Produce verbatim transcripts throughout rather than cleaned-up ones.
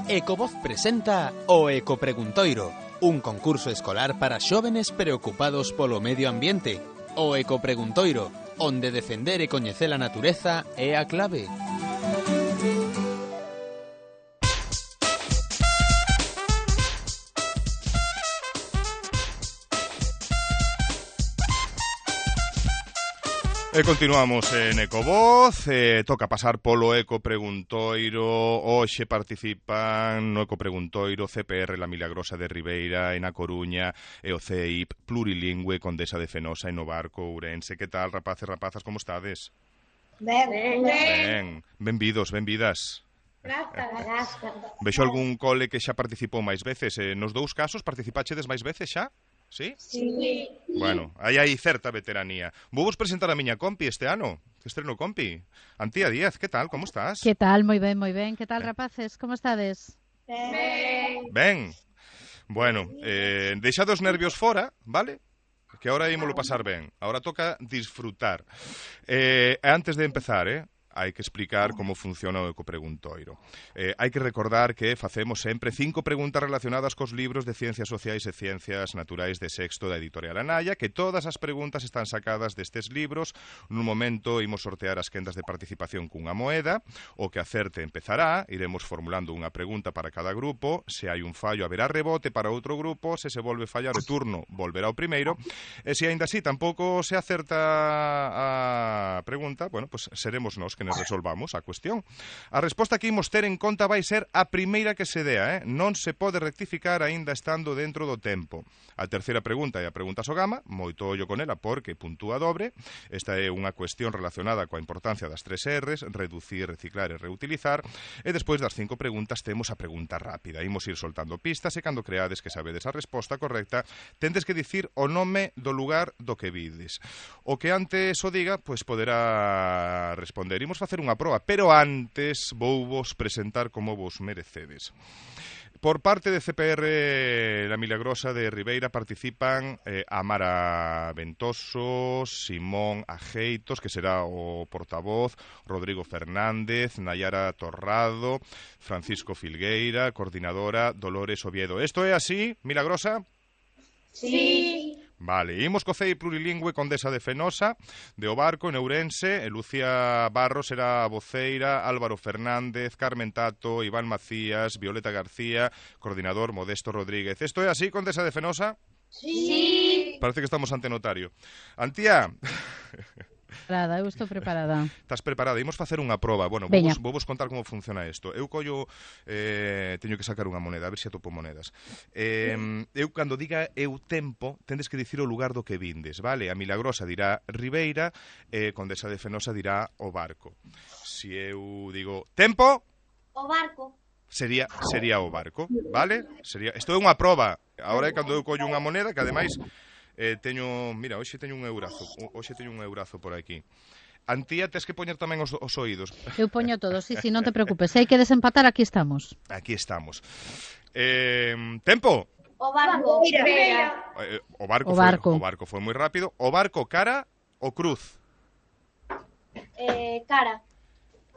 Ecovoz presenta o Ecopreguntoiro, un concurso escolar para xóvenes preocupados polo medio ambiente. O Ecopreguntoiro, onde defender e coñecer a natureza é a clave. E continuamos en Ecovoz, eh, toca pasar polo Ecopreguntoiro. Hoxe participan no Ecopreguntoiro C P R La Milagrosa de Ribeira, en A Coruña, e o C E I P Plurilingüe Condesa de Fenosa en o Barco, Ourense. Que tal, rapaces, rapazas, como estades? Ben, ben. Ben, benvidos, benvidas. Grazas. Vexo algún cole que xa participou máis veces. Eh, nos dous casos participachedes máis veces xa? Sí? Sí. Bueno, aí hai certa veteranía. Vou vos presentar a miña compi este ano. Que estreno compi. Antía Díaz, que tal? Como estás? Que tal? Moi ben, moi ben. Que tal, Ben. rapaces? Como estades? Ben. Ben. Bueno, eh, deixad os nervios fora, vale? Que ahora ímolo pasar ben. Ahora toca disfrutar. Eh, antes de empezar, eh, hai que explicar como funciona o Ecopreguntoiro. Eh, hai que recordar que facemos sempre cinco preguntas relacionadas cos libros de Ciencias Sociais e Ciencias Naturais de sexto da editorial Anaya, que todas as preguntas están sacadas destes libros. Nun momento imos sortear as quendas de participación cunha moeda. O que acerte empezará, iremos formulando unha pregunta para cada grupo. Se hai un fallo, haberá rebote para outro grupo. Se se volve fallar o turno, volverá o primeiro. E se aínda así tampouco se acerta a pregunta, bueno, pues seremos nós que nos resolvamos a cuestión. A resposta que imos ter en conta vai ser a primeira que se dea, eh? Non se pode rectificar aínda estando dentro do tempo. A terceira pregunta é a pregunta Sogama, moito ollo con ela porque puntúa dobre. Esta é unha cuestión relacionada coa importancia das tres R's, reducir, reciclar e reutilizar. E despois das cinco preguntas temos a pregunta rápida. Imos ir soltando pistas e cando creades que sabedes a resposta correcta, tendes que dicir o nome do lugar do que vides. O que antes o diga, pois poderá responder. Imos facer unha proba, pero antes vou vos presentar como vos merecedes. Por parte de C P R La Milagrosa de Ribeira participan eh, Amara Ventoso, Simón Ajeitos, que será o portavoz, Rodrigo Fernández, Nayara Torrado, Francisco Filgueira, coordinadora Dolores Oviedo. Esto é así, Milagrosa? Sí. Vale, imos co C E I Plurilingüe Condesa de Fenosa, de O Barco, en Ourense. E Lucía Barros será a voceira, Álvaro Fernández, Carmen Tato, Iván Macías, Violeta García, coordinador Modesto Rodríguez. Esto é así, Condesa de Fenosa? Sí. Parece que estamos ante notario. Antía... Preparada, eu estou preparada. Estás preparada? Imos facer unha proba. Bueno, vou vos, vou vos contar como funciona isto. Eu collo, eh, teño que sacar unha moneda, a ver se atopo monedas. Eh, eu, cando diga eu tempo, tendes que dicir o lugar do que vindes, vale? A Milagrosa dirá Ribeira, e eh, Condesa de Fenosa dirá O Barco. Si eu digo tempo... O barco. Sería, sería O Barco, vale? Sería, isto é unha proba. Agora é cando eu collo unha moneda, que ademais... Eh, teño, mira, hoxe teño un eurazo. Hoxe teño un eurazo por aquí. Antía, tes que poñer tamén os, os oídos. Eu poño todo, sí, sí, non te preocupes. Se hai que desempatar, aquí estamos. Aquí estamos. Eh, tempo. O barco. Ribeira. Eh, o barco, O barco. Foi, o barco foi moi rápido. O barco cara ou cruz? Eh, cara.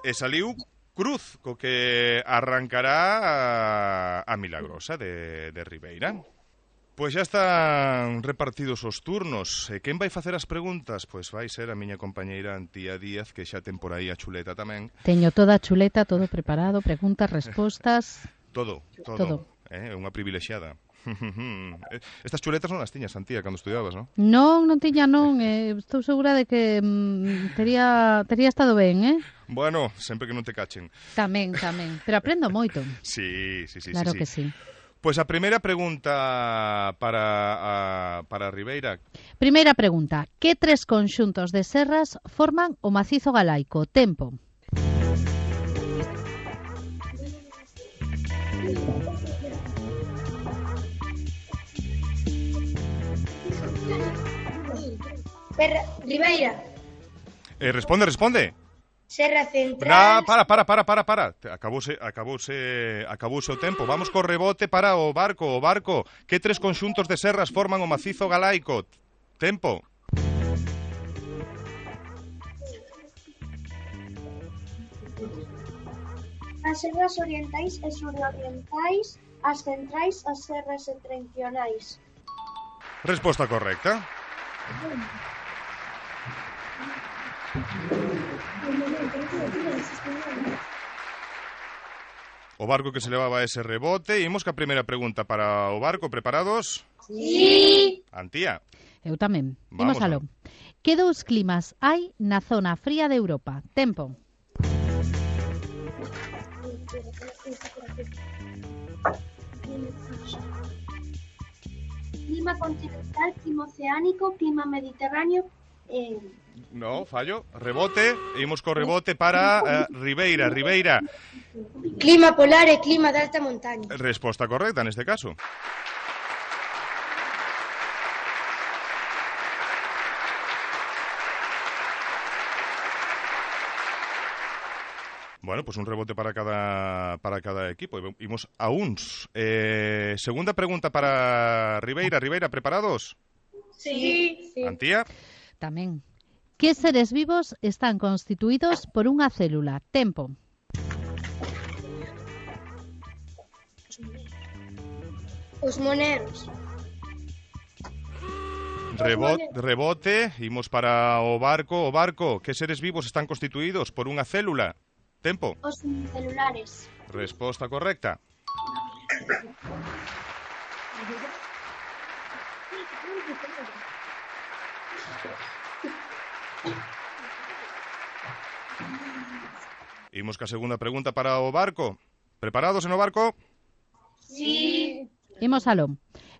E saliu cruz, co que arrancará a, a Milagrosa de, de Ribeira. Pois xa están repartidos os turnos. E quen vai facer as preguntas? Pois vai ser a miña compañeira Antía Díaz, que xa ten por aí a chuleta tamén. Teño toda a chuleta, todo preparado, preguntas, respostas... Todo, todo. Todo. É eh, unha privilexiada. Estas chuletas non as tiñas, Antía, cando estudiabas, non? Non, non tiña non. Eh, estou segura de que mm, tería, tería estado ben, eh? Bueno, sempre que non te cachen. Tamén, tamén. Pero aprendo moito. Sí, sí, sí. Claro sí, que sí. sí. Pois a primeira pregunta para, a, para Ribeira. Primeira pregunta. Que tres conxuntos de serras forman o macizo galaico? Tempo. Per... Ribeira. Eh, responde, responde. Serra Central. Na, para, para, para, para, para. Acabouse, acabouse, acabouse o tempo. Vamos co rebote para o barco, o barco. Que tres conxuntos de serras forman o macizo galaico? Tempo. As serras orientais e surorientais, as centrais, as serras septentrionais. Resposta correcta. O barco que se levaba ese rebote. Imos ca primeira pregunta para o barco. Preparados? Sí. Antía. Eu tamén. Vamos Imos aló. Que dous climas hai na zona fría de Europa? Tempo. Clima continental, clima oceánico, clima mediterráneo. Eh... No, fallo. Rebote. Imos co rebote para uh, Ribeira. Ribeira. Clima polar e clima de alta montaña. Resposta correcta neste caso. Bueno, pues un rebote para cada para cada equipo. Imos a uns. Eh, segunda pregunta para Ribeira. Ribeira, ¿preparados? Sí. sí. Antía. Tamén. Que seres vivos están constituídos por unha célula? Tempo. Os moneros. Rebote, rebote. Imos para o barco. O barco. Que seres vivos están constituídos por unha célula? Tempo. Os unicelulares. Resposta correcta. Imos ca segunda pregunta para o barco. Preparados en o barco? Sí. Imos aló.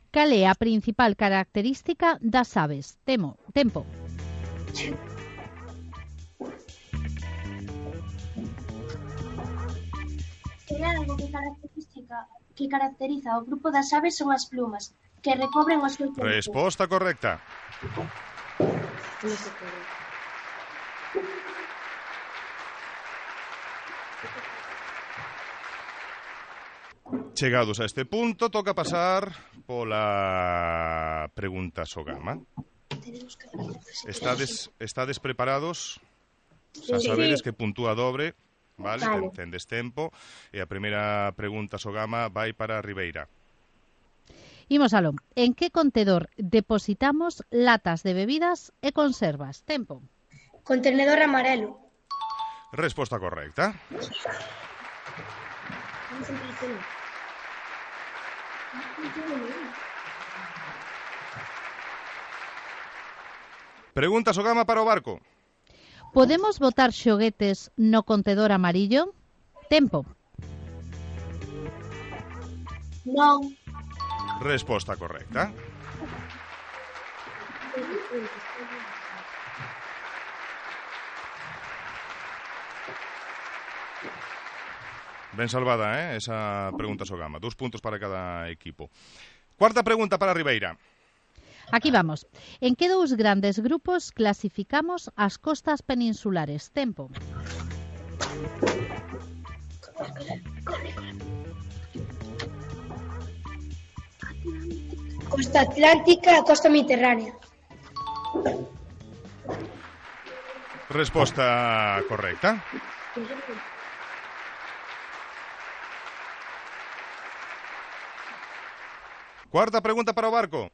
Cal é a principal característica das aves? Temo. Tempo. É algo que característica que caracteriza o grupo das aves son as plumas, que recobren o seu corpo. Resposta correcta. Chegados a este punto, toca pasar pola pregunta Sogama. Estades, estades preparados? Xa sabedes que puntúa dobre, vale? Vale. Tendes tempo. E a primeira pregunta Sogama vai para Ribeira. Imos aló. En que contedor depositamos latas de bebidas e conservas? Tempo. Contenedor amarelo. Resposta correcta. Pregunta Sogama para o barco. Podemos botar xoguetes no contedor amarillo? Tempo. Non. Resposta correcta. Ben salvada, eh, esa pregunta Sogama. Dos puntos para cada equipo. Cuarta pregunta para Ribeira. Aquí vamos. En que dous grandes grupos clasificamos as costas peninsulares? Tempo. Costa atlántica e costa mediterránea. Resposta correcta. Cuarta pregunta para o barco.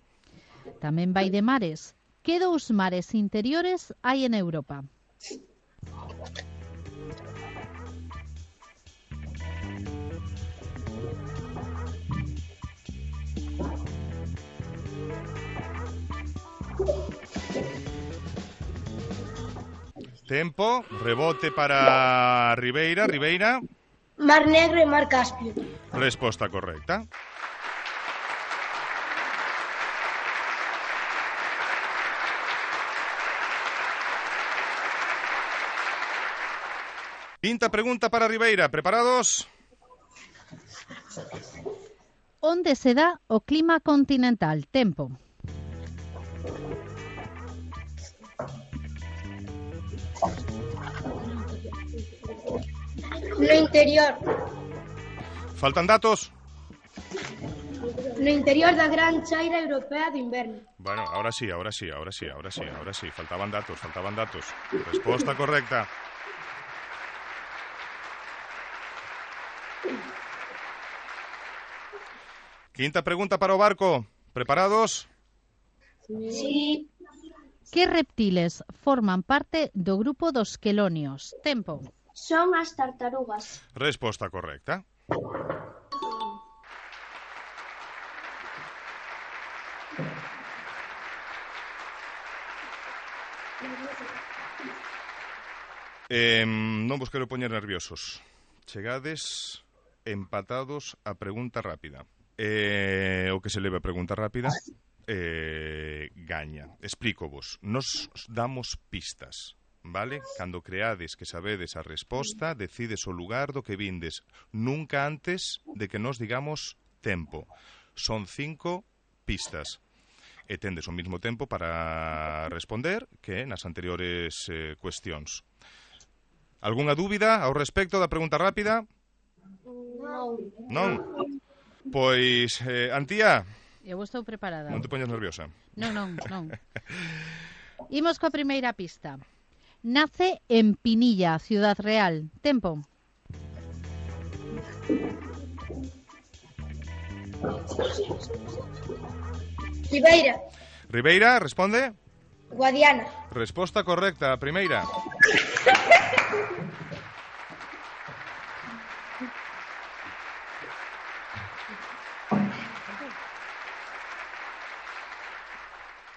Tamén vai de mares. Que dous mares interiores hai en Europa? Tempo, rebote para Ribeira. Ribeira. Mar Negro e Mar Caspio. Resposta correcta. Quinta pregunta para Ribeira. ¿Preparados? Onde se dá o clima continental? Tempo. No interior. Faltan datos. No interior da gran chaira europea de inverno. Bueno, ahora sí, ahora sí, ahora sí, ahora sí, ahora sí. Faltaban datos, faltaban datos. Resposta correcta. Quinta pregunta para o barco. Preparados? Sí. Que reptiles forman parte do grupo dos quelonios? Tempo. Son as tartarugas. Resposta correcta. Eh, non vos quero poñer nerviosos. Chegades empatados a pregunta rápida. Eh, o que se leve a pregunta rápida eh, gaña. Explícovos. Nos damos pistas, vale? Cando creades que sabedes a resposta, decides o lugar do que vindes. Nunca antes de que nos digamos tempo. Son cinco pistas. E tendes o mismo tempo para responder que nas anteriores eh, cuestións. Algúnha dúbida ao respecto da pregunta rápida? Non. Non? Pois, eh, Antía, Eu estou preparada. non te poñas nerviosa. Non, non, non. Imos coa primeira pista. Nace en Pinilla, Ciudad Real. Tempo. Ribeira. Ribeira, responde. Guadiana. Resposta correcta, a primeira.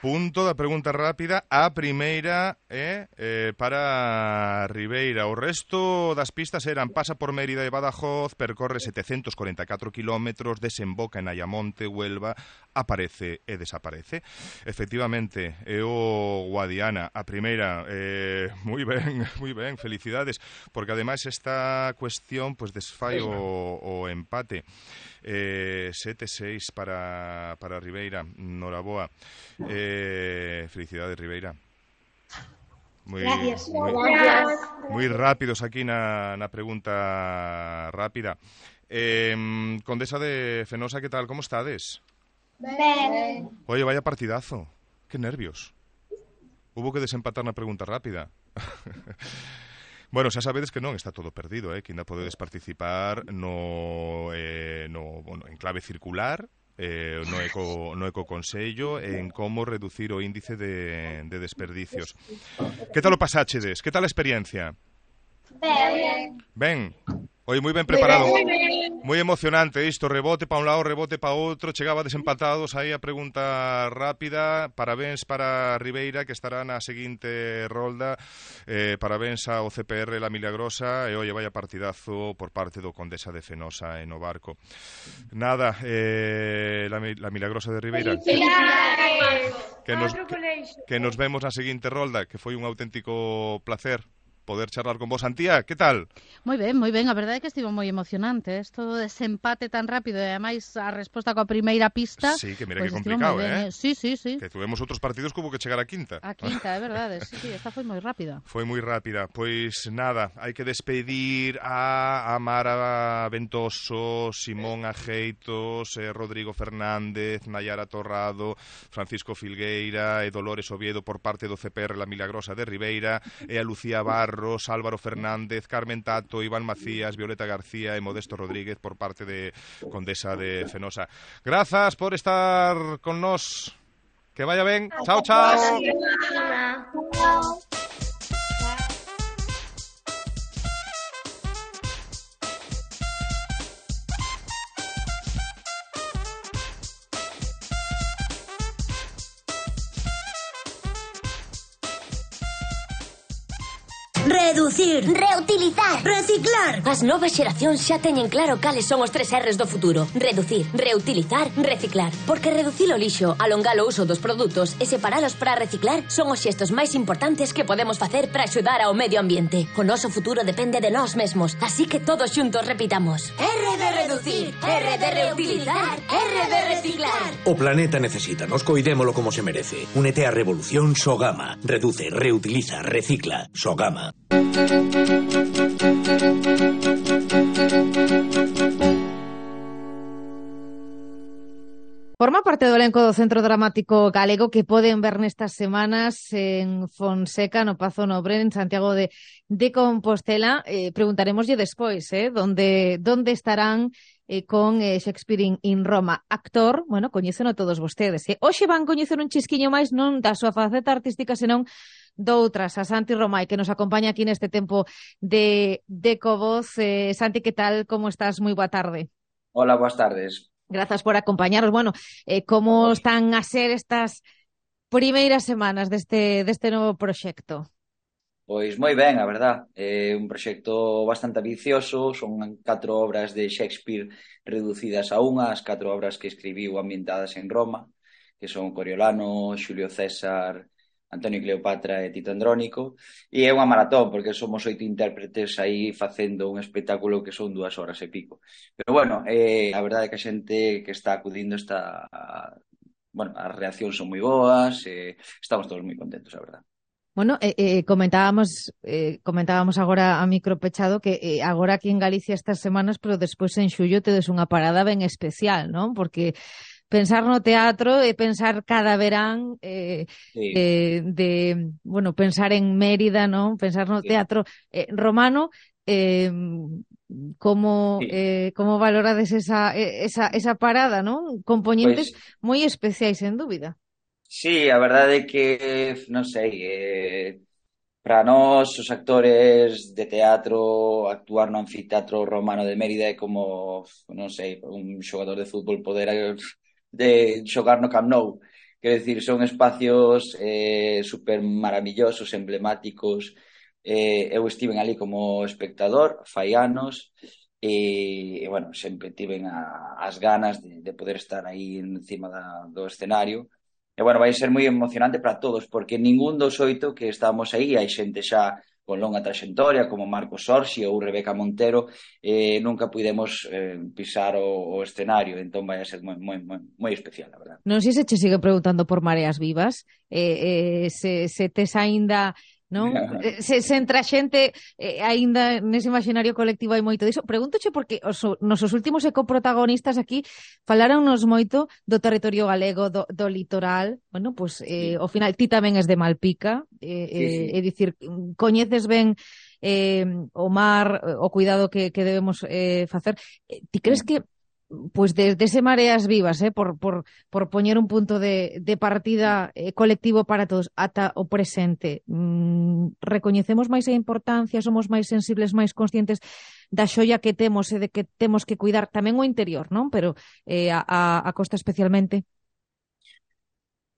Punto da pregunta rápida, a primeira é eh, para Ribeira. O resto das pistas eran: pasa por Mérida e Badajoz, percorre setecentos corenta e catro kilómetros, desemboca en Ayamonte, Huelva, aparece e desaparece. Efectivamente, é o Guadiana, a primeira. Eh, moi ben, moi ben, felicidades, porque ademais esta cuestión pues, desfai o, o empate. Eh, sete seis para, para Ribeira. Noraboa. Eh, felicidades, Ribeira. Muy, Gracias. Muy, Gracias. muy rápidos aquí na, na pregunta rápida. Eh, Condesa de Fenosa, ¿qué tal? ¿Cómo estades? Ben. Oye, vaya partidazo. Qué nervios. Hubo que desempatar na pregunta rápida. Bueno, xa sabedes que non está todo perdido, eh? Que ainda podedes participar no, eh, no, bueno, en clave circular, eh, no, eco, no ecoconsello, en como reducir o índice de, de desperdicios. Que tal o pasáchedes? Que tal a experiencia? Ben. Ben. Oi, moi ben preparado. Moi emocionante isto, rebote pa un lado, rebote pa outro, chegaba desempatados aí a pregunta rápida. Parabéns para Ribeira, que estará na seguinte rolda. Eh, parabéns ao C P R La Milagrosa e oye, vaya partidazo por parte do Condesa de Fenosa e no barco. Nada, eh, la, la Milagrosa de Ribeira. Que nos, que, que nos vemos na seguinte rolda, que foi un auténtico placer poder charlar con vos. Antía, que tal? Moi ben, moi ben. A verdade é que estivo moi emocionante. Isto do desempate tan rápido e ademais a resposta coa primeira pista. Sí, que mira pues que complicado, eh? Sí, sí, sí. Que tuvemos outros partidos que hubo que chegar a quinta. A quinta, é verdade. Sí, sí, esta foi moi rápida. Foi moi rápida. Pois nada, hai que despedir a Amara Ventoso, Simón Ajeitos, eh, Rodrigo Fernández, Nayara Torrado, Francisco Filgueira e Dolores Oviedo por parte do C P R La Milagrosa de Ribeira, e a Lucía Barros, Álvaro Fernández, Carmen Tato, Iván Macías, Violeta García e Modesto Rodríguez por parte de Condesa de Fenosa. Grazas por estar con nós. Que vaya ben. Chao, chao. Reducir, Reutilizar. reciclar. As novas xeracións xa teñen claro cales son os tres R's do futuro. Reducir, reutilizar, reciclar. Porque reducir o lixo, alongar o uso dos produtos e separalos para reciclar son os xestos máis importantes que podemos facer para axudar ao medio ambiente. O noso futuro depende de nós mesmos, así que todos xuntos repitamos. R de reducir, R de reutilizar, R de reciclar. O planeta necesita, nos coidémolo como se merece. Únete á revolución Sogama. Reduce, reutiliza, recicla. Sogama. Forma parte do elenco do Centro Dramático Galego que poden ver nestas semanas en Fonseca, no Pazo Nobre, en Santiago de, de Compostela. Eh, preguntaremoslle despois, eh, donde, donde estarán eh, con eh, Shakespeare in, in Roma. Actor, bueno, coñéceno todos vostedes. Eh. Hoxe van coñecer un chisquiño máis non da súa faceta artística, senón doutras, a Santi Romai, que nos acompaña aquí neste tempo de, de Covoz. Eh, Santi, que tal? Como estás? Moi boa tarde. Hola, boas tardes. Grazas por acompañaros. Bueno, eh, como están a ser estas primeiras semanas deste, deste novo proxecto? Pois moi ben, a verdad. É un proxecto bastante ambicioso, son catro obras de Shakespeare reducidas a unha, as catro obras que escribiu ambientadas en Roma, que son Coriolano, Xulio César, Antonio y Cleopatra e Tito Andrónico, e é unha maratón, porque somos oito intérpretes aí facendo un espectáculo que son dúas horas e pico. Pero bueno, eh, a verdade é que a xente que está acudindo está... Bueno, as reaccións son moi boas, eh, estamos todos moi contentos, a verdade. Bueno, eh, eh, comentábamos eh, comentábamos agora a micro pechado que eh, agora aquí en Galicia estas semanas, pero despois en xullo tedes unha parada ben especial, non? Porque pensar no teatro e pensar cada verán eh, Sí. eh, de, bueno, pensar en Mérida, non? Pensar no Sí. teatro eh, romano, eh, como Sí. eh, como valorades esa, esa, esa parada, non? Compoñentes Pois, moi especiais, sen dúbida. sí, a verdade é que, non sei, eh, para nós, os actores de teatro, actuar no anfiteatro romano de Mérida é como, non sei, un xogador de fútbol poder eh, de xogar no Camp Nou. Quero dicir, son espacios eh, super maravillosos, emblemáticos. Eh, eu estiven ali como espectador, fai anos, e, e bueno, sempre tiven a, as ganas de, de poder estar aí encima da, do escenario. E, bueno, vai ser moi emocionante para todos, porque ningún dos oito que estamos aí, hai xente xa con longa traxectoria, como Marcos Sorsi ou Rebeca Montero, eh, nunca pudemos eh, pisar o, o escenario, entón vai a ser moi, moi, moi, moi especial, a verdade. Non sei se che sigue preguntando por Mareas Vivas, eh, eh, se, se tes aínda, non? Se, se entre a xente eh, aínda nese imaginario colectivo hai moito diso. Pregúntoche porque os nosos últimos ecoprotagonistas aquí falaronnos moito do territorio galego, do, do litoral. Bueno, pois, eh, Sí. ao final, ti tamén és de Malpica, eh, Sí, sí. eh, é dicir, coñeces ben eh, o mar, o cuidado que, que debemos eh, facer. Eh, ti crees que pois desde ese Mareas Vivas, eh, por, por, por poñer un punto de, de partida eh, colectivo para todos ata o presente, mm, recoñecemos máis a importancia, somos máis sensibles, máis conscientes da xoia que temos e de que temos que cuidar tamén o interior, non? Pero eh, a, a, a costa especialmente.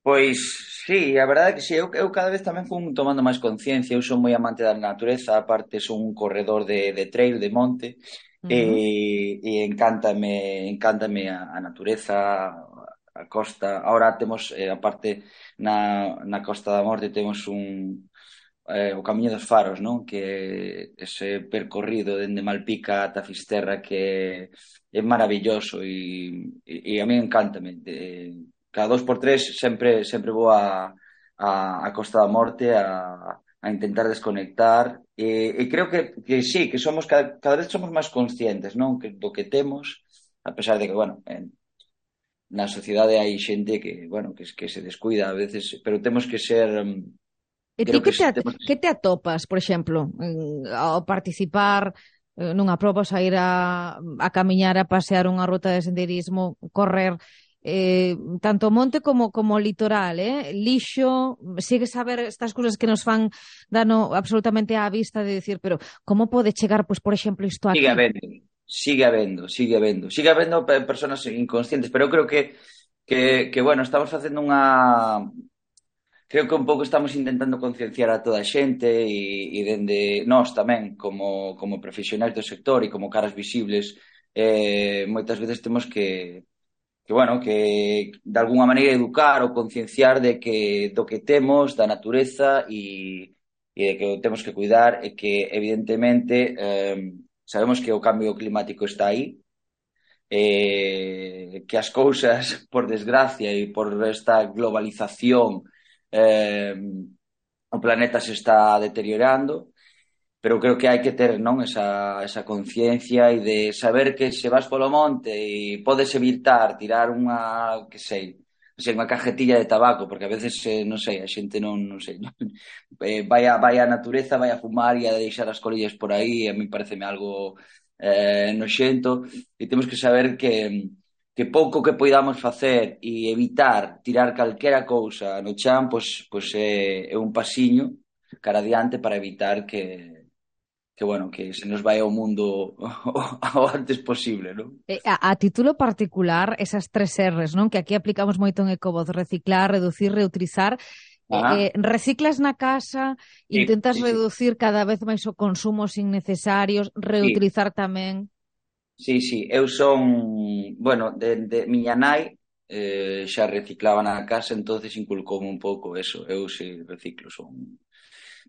Pois, sí, a verdade é que sí, eu, eu cada vez tamén fun tomando máis conciencia, eu son moi amante da natureza, aparte son un corredor de, de trail, de monte, Uh-huh. e, e encántame, encántame a, a natureza, a costa. Ahora temos, eh, aparte, na, na Costa da Morte temos un, eh, o Camiño dos Faros, non? Que ese percorrido dende Malpica ata Fisterra que é maravilloso e, e, e a mí encántame. De, cada dos por tres sempre sempre vou a, a, a Costa da Morte a, a intentar desconectar e, e creo que, que sí, que somos cada, cada vez somos máis conscientes, non? Que, do que temos, a pesar de que, bueno, en, na sociedade hai xente que, bueno, que, que se descuida a veces, pero temos que ser... E ti creo que que te, temos... que te atopas, por exemplo, en, ao participar eh, nunha proba, a ir a, a camiñar, a pasear unha ruta de senderismo, correr, eh, tanto monte como como litoral, eh? Lixo, sigues a ver estas cousas que nos fan dano absolutamente á vista de decir, pero como pode chegar, pois, por exemplo, isto aquí? Sigue habendo, sigue habendo, sigue habendo, sigue habendo personas inconscientes, pero eu creo que, que, que bueno, estamos facendo unha... Creo que un pouco estamos intentando concienciar a toda a xente e, e dende nós tamén, como, como profesionais do sector e como caras visibles, eh, moitas veces temos que que, bueno, que de alguna maneira educar ou concienciar de que do que temos, da natureza e, e de que o temos que cuidar e que evidentemente eh, sabemos que o cambio climático está aí, eh, que as cousas, por desgracia e por esta globalización, eh, o planeta se está deteriorando pero creo que hai que ter, non, esa, esa conciencia e de saber que se vas polo monte e podes evitar tirar unha, que sei, non sei, unha cajetilla de tabaco, porque a veces, eh, non sei, a xente non, non sei, non, eh, vai, a, vai a natureza, vai a fumar e a deixar as colillas por aí, a mí pareceme algo eh, noxento, e temos que saber que que pouco que poidamos facer e evitar tirar calquera cousa no chan, pois, pois é, é un pasiño cara adiante para evitar que que, bueno, que se nos vai ao mundo o antes posible, non? Eh, a, a título particular, esas tres R's, non? Que aquí aplicamos moito en Ecovoz, reciclar, reducir, reutilizar. Eh, eh, reciclas na casa, Sí, intentas sí, sí. reducir cada vez máis o consumo innecesarios, reutilizar tamén. Sí, sí, eu son, bueno, de, de miña nai eh, xa reciclaba na casa, entonces inculcoume un pouco eso, eu si reciclo, son...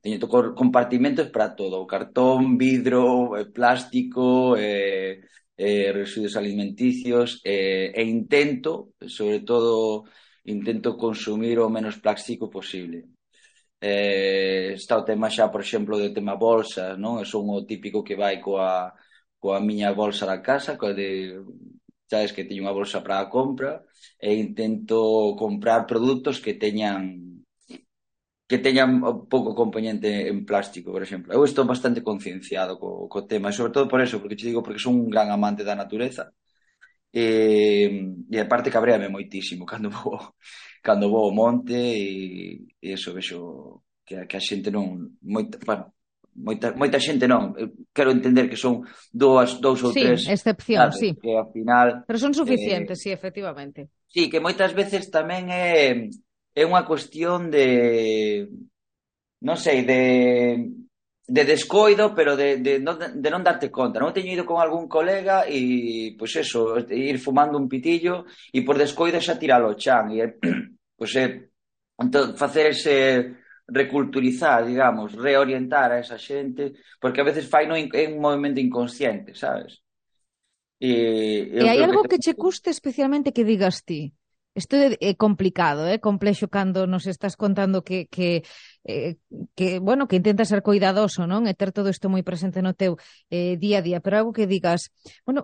Teño to- compartimentos para todo, cartón, vidro, eh, plástico, eh, eh, residuos alimenticios, eh, e intento, sobre todo, intento consumir o menos plástico posible. Eh, está o tema xa, por exemplo, do tema bolsas, non? Eu son o típico que vai coa, coa miña bolsa da casa, coa de, sabes, que teño unha bolsa para a compra, e intento comprar produtos que teñan que teñan pouco componente en plástico, por exemplo. Eu estou bastante concienciado co, co tema, e sobre todo por eso, porque te digo, porque son un gran amante da natureza, e, e aparte cabréame moitísimo cando vou, cando vou ao monte, e, e eso, vexo que, que a xente non... Moita, bueno, moita, moita xente non, eu quero entender que son dous, dous ou Sí, tres, excepción, sabes, sí. que ao final... Pero son suficientes, eh, sí, efectivamente. Sí, que moitas veces tamén é, é unha cuestión de, non sei, de, de descoido, pero de, de, non, de non darte conta. Non teño ido con algún colega e, pois eso, ir fumando un pitillo e por descoido xa tiralo ao chan. E, pois é, entón, facer ese reculturizar, digamos, reorientar a esa xente, porque a veces fai no, é un movimento inconsciente, sabes? E, E eu hai creo algo que... que che custe especialmente que digas ti? Isto é, é complicado, é complexo cando nos estás contando que, que, eh, que, bueno, que intentas ser cuidadoso, non? E ter todo isto moi presente no teu eh, día a día, pero algo que digas, bueno,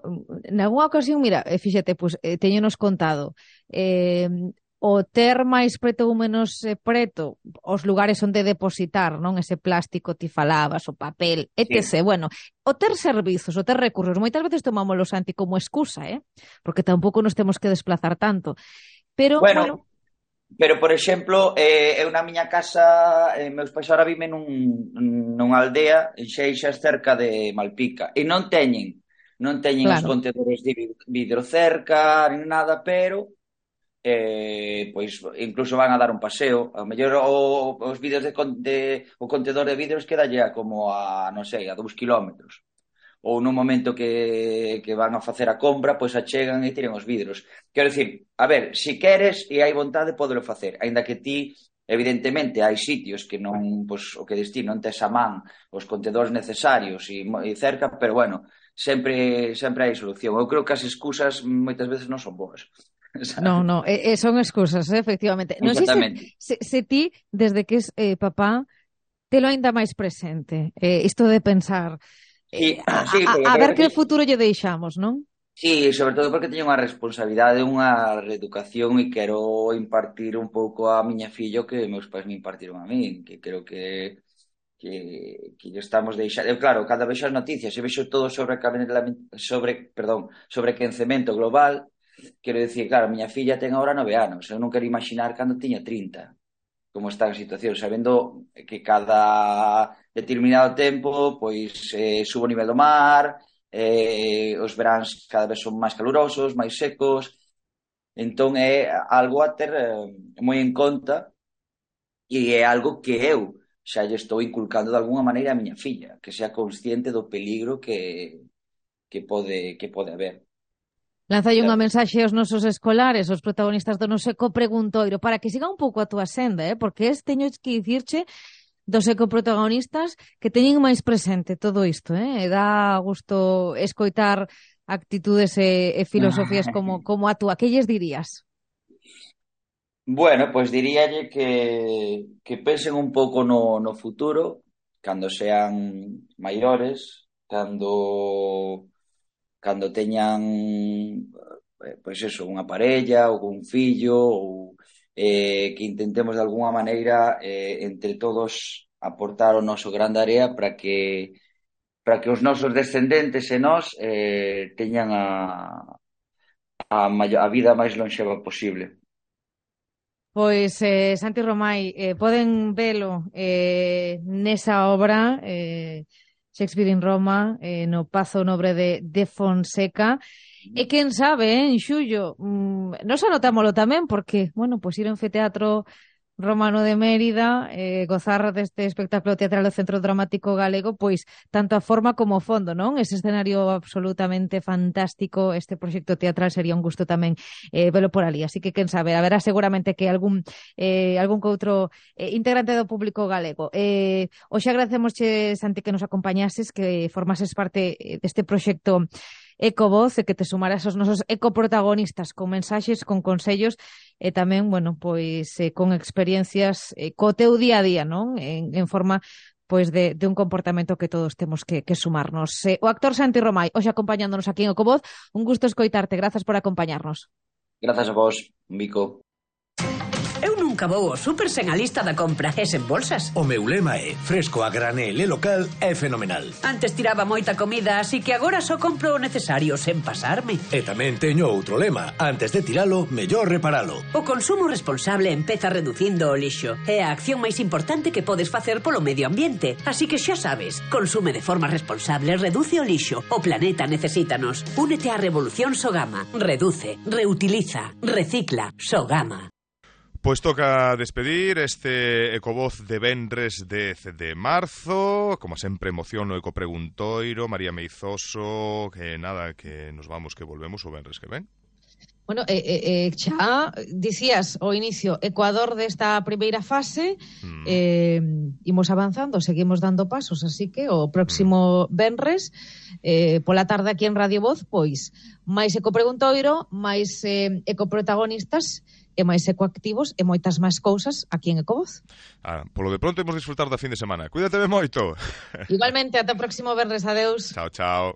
nalgúna ocasión, mira, eh, fíxate, pues, eh, teñonos contado, eh, o ter máis preto ou menos eh, preto os lugares onde depositar, non? Ese plástico ti falabas, o papel, etcétera. Sí. Bueno, o ter servizos, o ter recursos, moitas veces tomámoslo, Santi, como excusa, eh? Porque tampouco nos temos que desplazar tanto. Pero, bueno, bueno... Pero, por exemplo, eh, eu na miña casa, eh, meus pais ahora viven nun, nunha aldea en Xeixas cerca de Malpica, e non teñen, non teñen Claro. os contedores de vidro cerca, nin nada, pero eh, pois incluso van a dar un paseo. A mellor o, os vidros de, de o contedor de vidros quedalle a como a, non sei, a dous kilómetros. Ou nun momento que, que van a facer a compra, pois achegan e tiren os vidros. Quero dicir, a ver, se queres e hai vontade, podelo facer, aínda que ti, evidentemente, hai sitios que non, pois, o que destino, non tes a man os contedores necesarios e, e cerca, pero bueno, sempre sempre hai solución. Eu creo que as excusas moitas veces non son boas. No, no, eh, son excusas, eh, efectivamente. Non sei se, se, se ti, desde que es eh, papá, te lo aínda máis presente, eh, isto de pensar... Sí, Eh, a, sí, a, a ver que futuro lle deixamos, non? Sí, sobre todo porque teño unha responsabilidade, unha reeducación e quero impartir un pouco a miña filla o que meus pais me impartiron a mí, que creo que que, que estamos deixando. Claro, cada vez as noticias, e vexo todo sobre sobre, perdón, sobre quencemento global, quero dicir, claro, a miña filla ten agora nove anos, eu non quero imaginar cando tiña trinta. Como está a situación, sabendo que cada determinado tempo pois eh, sube o nivel do mar, eh, os veráns cada vez son máis calurosos, máis secos, entón é algo a ter eh, moi en conta, e é algo que eu xa lle estou inculcando de alguna maneira a miña filla, que sea consciente do peligro que, que pode que pode haber. Lanzalle unha mensaxe aos nosos escolares, aos protagonistas do noso ecopreguntoiro, para que siga un pouco a túa senda, eh? Porque es, teño que dicirche dos ecoprotagonistas que teñen máis presente todo isto, eh? E dá gusto escoitar actitudes e, e filosofías como, como a túa. Que lles dirías? Bueno, pois diríalle que, que pensen un pouco no, no futuro, cando sean maiores, cando cando teñan eh, pois eso, unha parella ou un fillo, ou eh, que intentemos de alguna maneira eh, entre todos aportar o noso grande área para que para que os nosos descendentes e nós eh, teñan a, a, a vida máis lonxeva posible. Pois, eh, Santi Romai, eh, poden velo eh, nesa obra, eh, Shakespeare in Roma, eh, no Pazo Nobre de, de Fonseca, e quen sabe, eh, en xullo, mm, nos anotámolo tamén, porque, bueno, pois ir a un teatro romano de Mérida, eh, gozar deste espectáculo teatral do Centro Dramático Galego, pois tanto a forma como o fondo, non? Ese escenario absolutamente fantástico, este proxecto teatral sería un gusto tamén eh, velo por ali, así que quen sabe, haberá seguramente que algún eh, algún que outro eh, integrante do público galego. Eh, hoxe agradecemosche, Santi, que nos acompañases, que formases parte deste proxecto Ecovoz e que te sumaras aos nosos ecoprotagonistas con mensaxes, con consellos e tamén, bueno, pois eh, con experiencias eh, co teu día a día, non? En, en forma pois de, de un comportamento que todos temos que, que sumarnos. Eh, o actor Santi Romai, hoxe acompañándonos aquí en Ecovoz, un gusto escoitarte, grazas por acompañarnos. Grazas a vos, Mico. Eu nunca vou ao súper sen a lista da compra e sen bolsas. O meu lema é fresco a granel e local é fenomenal. Antes tiraba moita comida, así que agora só compro o necesario sen pasarme. E tamén teño outro lema. Antes de tiralo, mellor reparalo. O consumo responsable empeza reducindo o lixo. É a acción máis importante que podes facer polo medio ambiente. Así que xa sabes, consume de forma responsable, reduce o lixo. O planeta necesítanos. Únete á revolución Sogama. Reduce, reutiliza, recicla. Sogama. Pois toca despedir este Ecovoz de venres dez de marzo. Como sempre, emoción no Ecopreguntoiro, María Meizoso, que nada, que nos vamos, que volvemos o venres que ven. Bueno, eh, eh, xa dicías ao inicio, Ecuador desta primeira fase, mm. eh, imos avanzando, seguimos dando pasos, así que o próximo mm. venres, eh, pola tarde aquí en Radio Voz, pois, máis Ecopreguntoiro, máis eh, ecoprotagonistas, e máis ecoactivos e moitas máis cousas aquí en Ecovoz. Ah, polo de pronto imos disfrutar da fin de semana. Cuídate moito. Igualmente, ata o próximo venres, adeus. Chao, chao.